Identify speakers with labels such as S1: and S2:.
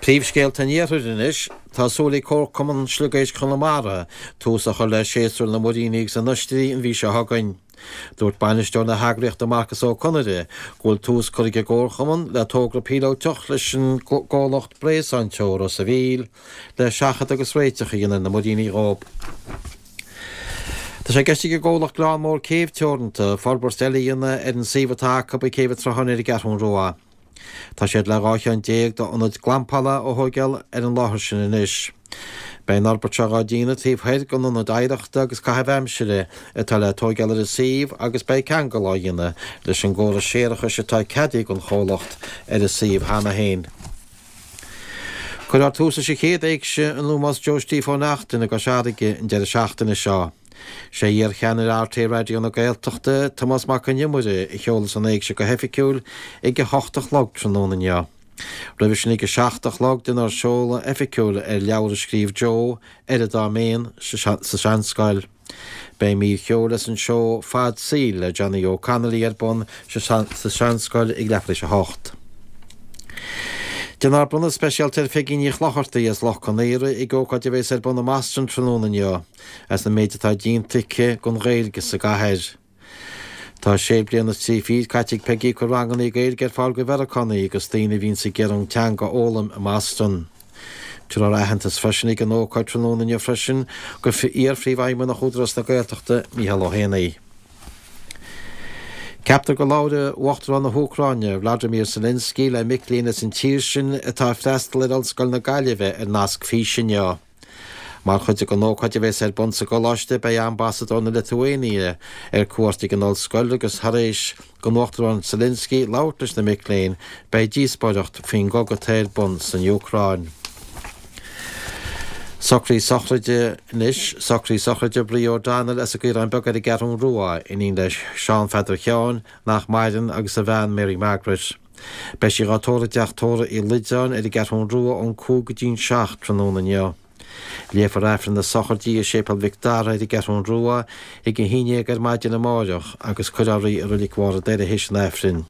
S1: Príomhscéalta an Iarthair anois. Tá súil ag Comharchumann Sliogéisc Chonamara tús a chur le séasúr na muiríní agus na n-oistrí an mhí seo chugainn. Dúirt bainisteoir na heagraíochta Marcus Ó Conaire go bhfuil tús curtha ag an gComharchumann le togra píolótach leis an gcomhlacht Bréasáin Teo Ros a' Mhíl le seachadadh agus réiteach a dhéanamh ar na muiríní dhóibh. Tá sé i gceist ag an gcomhlacht Gleann Mór Céibh Teoranta forbairt eile a dhéanamh ar an suíomh atá acu ag Céibh an tSrutháin ar an gCeathrún Rua. Tá siad le 12 cheann d'ionaid glampála a thóigeáil ar an láthair sin anois. Beidh an fhorbairt seo dhá déanamh taobh thoir den ionad oidhreachta agus caitheamh aimsire atá le tóigeáil ar an suíomh agus beidh ceangal á dhéanamh leis an gcóras séarachais atá ceadaithe don chomhlacht ar an suíomh cheana féin. Cuirfear tús leis an chéad éigse in ómós Joe Steve Ó Neachtain i gCois Fharraige an deireadh seachtaine seo. Sé iar-cheannaire rté Raidió na Gaeltachta, Tomás Mac Con Iomaire, a sheolfas an éigse go hoifigiúil ag a hocht a chlog tráthnóna inniu. Roimhe sin ag a 7 a chlog déanfar seoladh oifigiúil ar leabhar a scríobh Joe, Oiread dá Méan, sa Seanscoil. Beidh mír cheoil as an seó Fad Saoil le Johnny O'Connolly ar bun sa Seanscoil ag leathuair tar éis a hocht. Déanfar bronnadh speisialta ar Pheigí Ní Chlochartaigh as Loch Con Aora ag ócáid a bheas ar bun i mBoston tráthnóna inniu. as an méid atá déanta aici don Ghaeilge sa gcathair. Tá sé bliana is 30 caite ag Peigí ag cur ranganna Gaeilge ar fáil do Mheiriceánaigh agus daoine a bhíonns ag iarraidh an teanga a fhoghlaim i mBoston. Tabharfar aitheantas freisin ag an ócáid tráthnóna inniu freisin do iar-phríomhfheidhmeannach Údarás na Gaeltachta, Mícheál Ó hÉanaí. Ceaptar go labhróidh Uachtarán na hÚcráine, Vladimir Zelensky, le mic léinn as an tír sin atá ag freastal ar Ollscoil na Gaillimhe ar nasc físe inniu. Mar chuid den ócáid a bheas ar bun sa gcoláiste beidh Ambasadóir na Liotuáine ar cuairt ag an ollscoil agus thar éis don Uachtarán Zelensky labhairt leis na mic léinn beidh díospóireacht faoin gcogadh atá ar bun san Úcráin. Socruithe sochraide anois, Socruithe sochraide Brie O'Donnell as an gCaorán Beag ar an gCeathrún Rua, iníon le Seán Pheadair Sheáin, nach maireann, agus a bhean Mary Margaret. Beidh sí dhá tórramh i dteach tórraimh Uí Loideáin ar an gCeathrún Rua ón 5 go dtí'n 7 tráthnóna inniu. Léifear Aifreann na sochraide i Séipéal Mhic Dara ar an gCeathrún Rua ag 11 ar maidin amáireach agus cuirfear í i Roilig Bharr an Doire théis an Aifrinn.